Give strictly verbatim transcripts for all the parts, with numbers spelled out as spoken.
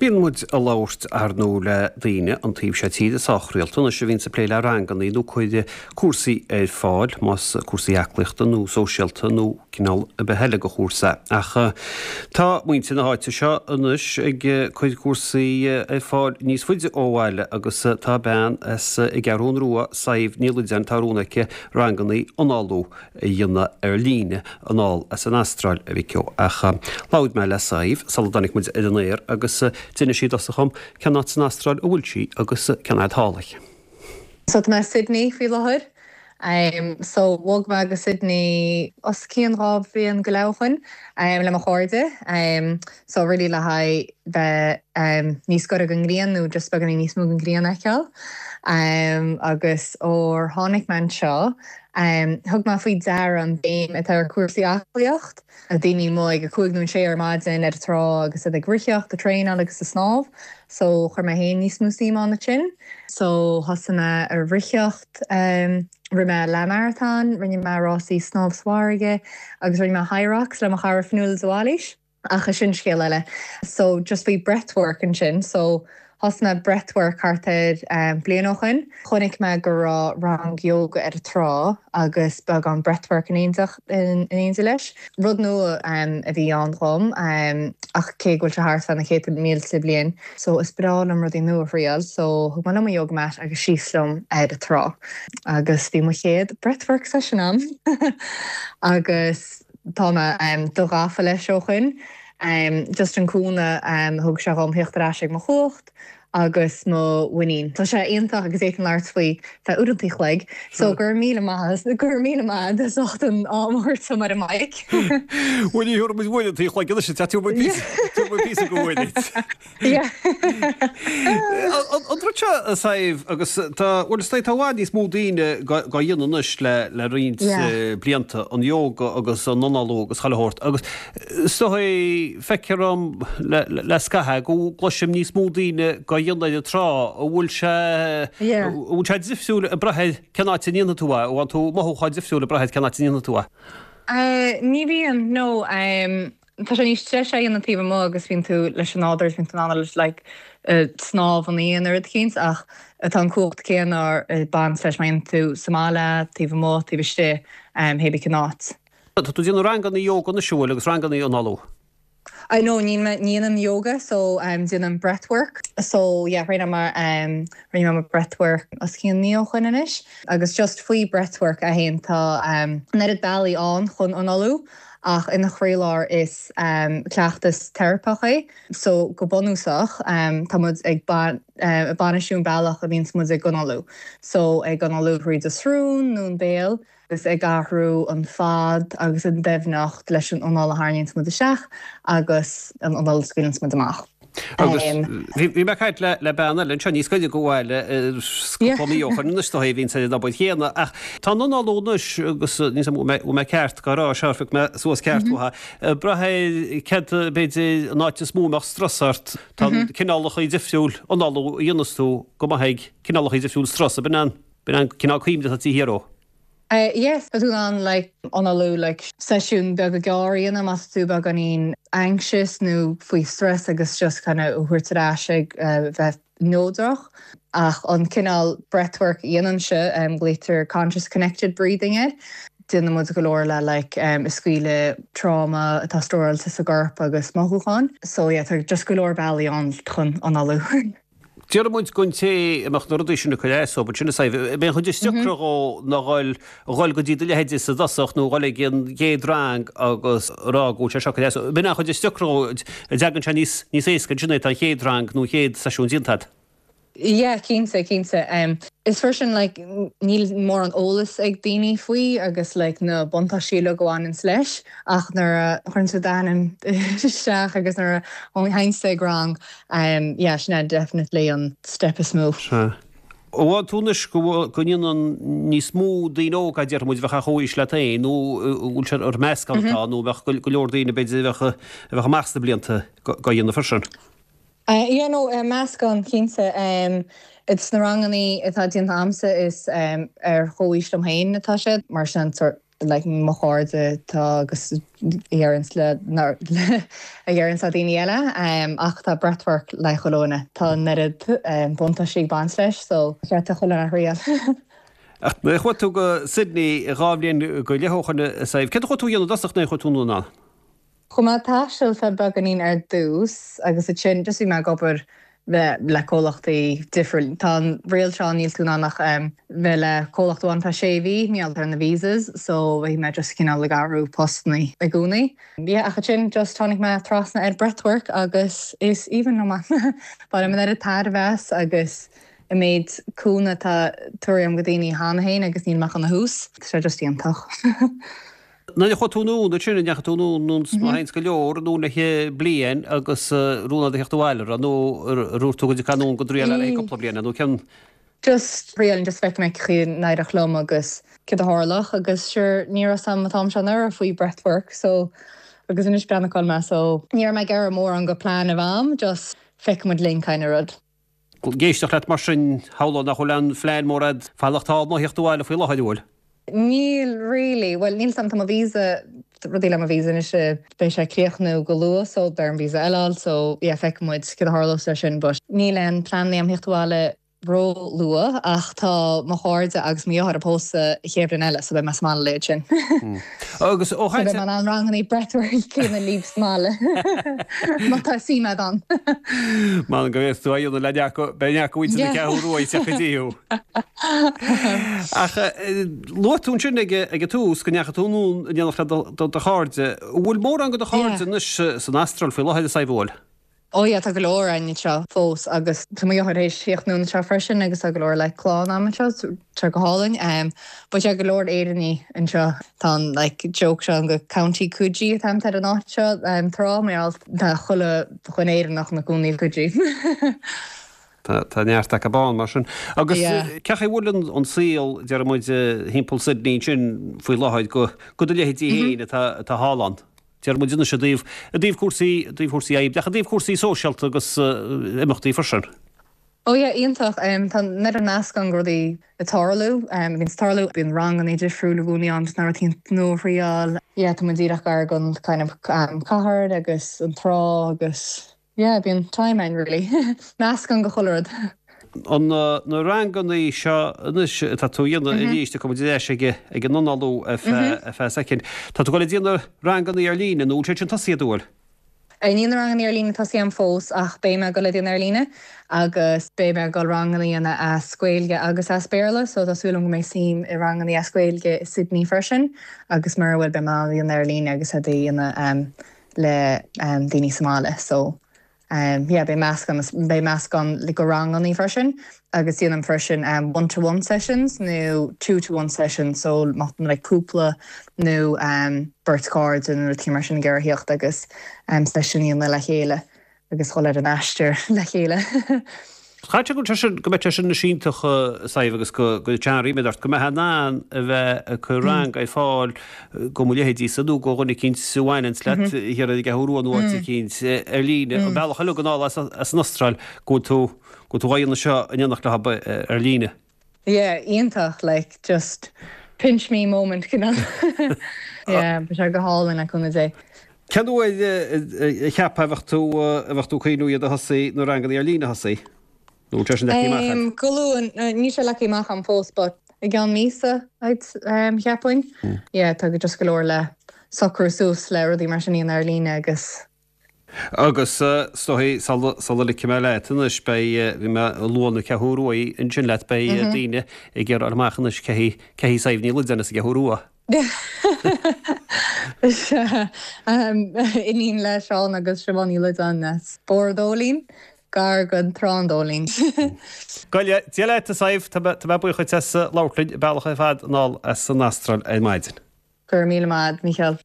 Bíonn muid ag labhairt ar ndóigh le daoine an taobh seo tíre sách rialta anois a bhíonns ag plé le ranganna nó cuir cúrsaí ar fáil más cúrsaí aclaíochta nó sóisialta nó cineál ar bith eile de chúrsa. Ach tá muintir na háite seo anois ag cur cúrsaí ar fáil níos faide ó bhaile agus tá bean as an gCeathrú Rua Sadhbh Ní Loideáin tá rún aici ranganna análú a dhéanamh ar líne anall as an Astráil a mhic ó. Ach labhair mé le Sadhbh sula dtáinig muid ar an aer agus d'inis sí i dtosach dom cén áit san Astráil a bhfuil sí agus cén fhad thall í. So tá mé Sydney faoi láthair. Um, so bhog mé go Sydney os cionn dhá bhliain go leith ó shin um, le mo chairde. Um, so really le haghaidh bheith um, níos gaire don ghrian nó just beagáinín níos mó den ghrian a fheiceáil. Um, agus ó tháinig mé anseo, um, thug mé faoi deara an béim atá ar cúrsaí aclaíocht. A daoine amuigh ag a cúig nó sé ar maidin ar trá agus iad ag ritheacht ag traenáil agus ag snámh, so chuir mé féin níos mó suim ann sin. So thosaigh mé ar ritheacht um, rinne mé leath marathon, rinne mé rásaí snámh sa bhfarraige agus rinne mé Hyrox le mo chara Fionnuala de Bhailís. Ach sin scéal eile. So just faoi breathwork ansin, so thosaigh mé breathwork thart ar um, bliain ó shin. Chonaic mé go raibh rang yoga ar an trá agus beagán breathwork in éineacht in éindí leis. Rud nua um, a bhí ann dom um, ach cé go bhfuil sé thart fá na céadta mílte bliain. So is breá liom rudaí nua a thriail, so thug mé liom yoga mat agus síos liom ar an trá. Agus bhí mo chéad breathwork session ann agus tá mé um, do ghafa leis ó shin. Um, just an cúnamh um, thug sé dhom theacht ar ais ag mo chumhacht agus mo mhuinín. Tá sé iontach agus é an labhairt faoi feadh uaireanta an chloig, so gur míle maith gur míle maith as ucht an am mar a mic. Bhuel ní muid uaireanta an chloig se tú pí go bhfuil. An rud seo Sadhbh agus tá bhfuil tá bhfad níos mó daoine á dhéanamh anois le le roinnt blianta an yoga agus an análú agus chuile shórt agus so feictear dom le le scaitheamh go gcloisim níos mó daoine á dhéanamh ar an trá an bhfuil sé bhfuil sé difriúil ag brath cén áit a ndéanann tú é bhfuil tú mothúchán difriúil ag brath cén áit a ndéanann tú é. Ní bhíonn no tá sé níos treise an taobh amuigh agus bíonn tú leis an nádúr bíonn tú leis like snámh an aon rud céanna ach tá an cumhacht céanna ag baint leis má dhéanann tú sa mbaile taobh amuigh taobh istigh hé cén áit. Tá tú ag déanamh ranganna yoga na siúil agus ranganna análú. I know ní dhéanaim yoga so um, déanaim breathwork so yeah rinne mé um, rinne mé breathwork os cionn mí ó shin anois agus just faoi breathwork a haon tá um, neart bealaí ann chun análú ach ina chroílár is um, cleachtas teiripeach é so go bunúsach um, tá muid ag ban uh, bainistiú an bealach a bhíonn muid ag análú so ag análú thríd an srón nó an béal agus ag athrú an fad agus an doimhneacht leis an anáil a tharraingíonn muid isteach agus an anáil a scaoileann muid amach. Agus bhí mé ag caint le le bean eile anseo níos gaire go bhfuil mí ó bhíonn sé na chéanna ach tá an análú anois agus ní mé ceart go rá searfa mé suas ceart brath cad b'fhéidir an áit is mó nach strus ort tá cineálacha difriúil análú a dhéananns tú go maith cineálacha difriúil strus a b'in an b'in an cineál cuimhne atá thiaró. Uh, yes, tá tú an like análú like seisiún beag gearr a dhéanamh más tú beagáinín anxious nó faoi stress agus just kind of thabhairt ar ais ag uh, bheith neodrach ach an cineál breathwork dhéanann sé um, glaoitear conscious connected breathing air. Déanann muid go leor le like um, scaoileadh trauma atá stóráilte sa gcorp agus mothúcháin, so yeah, tá just go leor bealaí ann chun análú. Deir muid gon té amach na rudaí sin na chuir so sin b'é chuid is deacra dhó ná dhul dhul go dtí do leithéid sa dosach nó dhul ag an gcéad rang agus rá go sé seo chuir B'in an chuid is deacra dhó dtagann sé níos níos éasca sin é an chéad rang nó chéad seisiún déanta. Yeah, cinnte cinnte. Um, is freisin like, níl mórán eolas ag daoine faoi agus like, na buntáistí a bhaineann leis ach nuair a chuireann tú d'ainm isteach agus nuair a théann tú ag rang um, yeah, sin é definitely an step is mó. Ó tú anois go ndéanann níos mó daoine óga deir muid bheith chomhaois leat féin nó bhfuil sé ar meascán tá nó bheith go leor daoine b'fhéidir bheith bheith amach sna blianta go dhéanamh freisin. Uh, yeah, no, uh, meascán cinnte um, it's na ranganna atá déanta agamsa is um, ar chomhaois liom féin atá siad mar sin sort like mo chairde tá agus a dheireanns le a dheireanns le daoine eile um, ach tá breathwork le cholóna tá an oiread um, buntáistí ag baint leis so cheart chuile dhuine a thriail. Ach nuair a chuaigh tú go Sydney dhá bhliain go leith ó shin a Sadhbh, céard a chuaigh tú a dhéanamh i dtosach nuair a chuaigh tú anonn ann? Chuaigh mé ag taisteal feadh beagáinín ar dtús agus ansin just bhí mé ag obair le le comhlachtaí difriúil. Tá an riail seo níl tú in ann ach um, bheith le comhlacht amháin feadh sé mhí mar gheall ar na visas, so bhí mé just cineál ag athrú postanna i gcónaí. Yeah, ach ansin just tháinig mé trasna ar breathwork agus is aoibhinn liom é. Bainim an oiread tairbhe as agus an méid cúnamh atá tugtha agam do dhaoine cheana féin agus níl mé ach ina thús, Tá sé just iontach. Nuair a chuaigh tú anonn ansin, an ndeachaigh tú anonn má théanns go leor anonn le bliain agus rún agat a theacht abhaile ra nó ar dhúirt tú go dtiocfá anonn go dtriail le cúpla bliain nó cén Just triail just feicfidh mé cén chaoi a n-éireodh liom agus céard a tharlódh agus sure ní raibh a fhios agam an t-am seo anuraidh faoi breathwork so agus anois breathnaigh cá bhfuil mé so ní raibh mé ag iarraidh mórán go plean a bheith agam just feicfidh muid linn kind of rud. Ag éisteacht leat mar sin shamhlóinn nach bhfuil aon phlean mór agat fanacht thall nó theacht abhaile faoi láthair an bhfuil? Níl really, well níl sam tá mo visa rudaí le mo visa anois beidh sé ag críochnú go luath so beidh orm visa eile a fháil so yeah feicfidh muid céard a tharlós leis sin but níl aon plean agam theacht abhaile ró-luath ach tá mo chairde agus mo dheartháir ag pósadh an chéad bhliain eile so beidh mé sa mbaile leis sin. Agus ó So beidh mé in ann ranganna breathwork a dhéanamh libh sa mbaile. Má tá suim agat ann. Man go bhféadfá tú a dhéanamh le neart beidh neart muintir na Ceathrún Rua ag teacht go dtí thú. Ach luaigh tú ansin ag ag an tús go ndeachaigh tú anonn in éineacht le do do chairde. An bhfuil mórán de do chairde Yeah. anois san Astráil faoi láthair a Sadhbh, an bhfuil? Ó yeah, tá go leor againn anseo fós agus tá mo dheartháir théis theacht anonn anseo freisin agus tá go leor le clann agam anseo so tá go hálainn. Um, but yeah, go leor Éireannaigh anseo tá an like, joke seo an go County Coogee atá ar an áit seo um, trá mar tá chuile dhuine Éireannach ina gcónaí i Coogee. Tá tá neart acu ann mar sin. Agus Yeah. cén chaoi a bhfuil an an saol deir muid thimpeall Sydney sin faoi láthair go go do leithéidí féin atá atá thall ann. Deir muid anois i dtaobh i dtaobh cúrsaí i dtaobh cúrsaí oibre, ach i dtaobh cúrsaí sóisialta agus uh, imeachtaí freisin. Ó yeah, iontach um, tá an-oiread nasc ann go rudaí ag tarlú um, bíonn tarlú bíonn ranganna difriúla i gcónaí ann na rudaí nua a thriail. Yeah, tá muid díreach gar don kind of um, cathair agus an trá agus yeah, bíonn time ann really. Meascán de chuile rud. An uh, na ranganna seo anois atá tú a dhéanamh arís go deis ag ag an análú ar feadh soicind. Tá tú ag goil a dhéanamh ranganna ar líne nó sé sin tosaithe an bhfuil. Níl na ranganna ar líne tosaithe agam fós ach beidh mé ag goil a dhéanamh ar líne agus beidh mé ag goil ranganna a dhéanamh as Gaeilge agus as Béarla, so tá súil agam go mbeidh suim i ranganna as Gaeilge i Sydney freisin agus mar bhfuil beidh mé á dhéanamh ar líne agus a dhéanamh um, le um, daoine sa mbaile. So um, yeah, beidh meascán beidh meascán le go ranganna freisin agus déanaim freisin um, one-to-one sessions nó two-to-one sessions so má like cúpla nó um, beirt chairde nó rud mar sin ag iarraidh theacht agus um, session a dhéanamh le chéile agus dul ar an aistear le chéile. Chaite go sin go mbeidh sin na sínteach saibh agus go go teanrí ort go mbeidh an a bheith chu rang ag fáil go mu lehéidí sa nó go rinne cinn suhain le hiar ag thú an cinn ar líne an bealach eile go as as an Astráil go tú go tú na seo an dhéanach le ar líne. Yeah, iontach like just pinch me moment you know. yeah, but sé go hálainn a cúnamh Dé. Cén uair a cheap a bheadh tú a bheadh tú cuiú iad a thosaí na ranganna ar líne a thosaí? Nó sé sin leagtha amach? Um, go luath níl sé leagtha amach agam fós, but i gceann míosa um, cheapfainn. Yeah, tá go just go leor le socrú suas le rudaí mar sin ar líne agus Agus stoí sula ligfidh mé leat anois beidh bhí mé ag lua na Ceathrú Rua ansin leat beidh daoine ag iarraidh amach anois cé hí cé hí Sadhbh Ní Loideáin as an gCeathrú Rua. um, iníon le Seán agus Siobhán Ní Loideáin as Bóthar an Dóilín, gar don Trá an Dóilín. Goile Dia leat a Sadhbh tá mé buíoch as labhairt linn bealach ar fad anall as an Astráil ar maidin. Gur míle maith, Michael.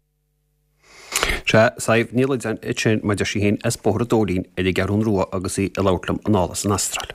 Se Sadhbh Ní Loideáin sin mar sin as Bóthar an Dóilín ar an gCeathrú Rua agus í ag labhairt liom anall as an Astráil.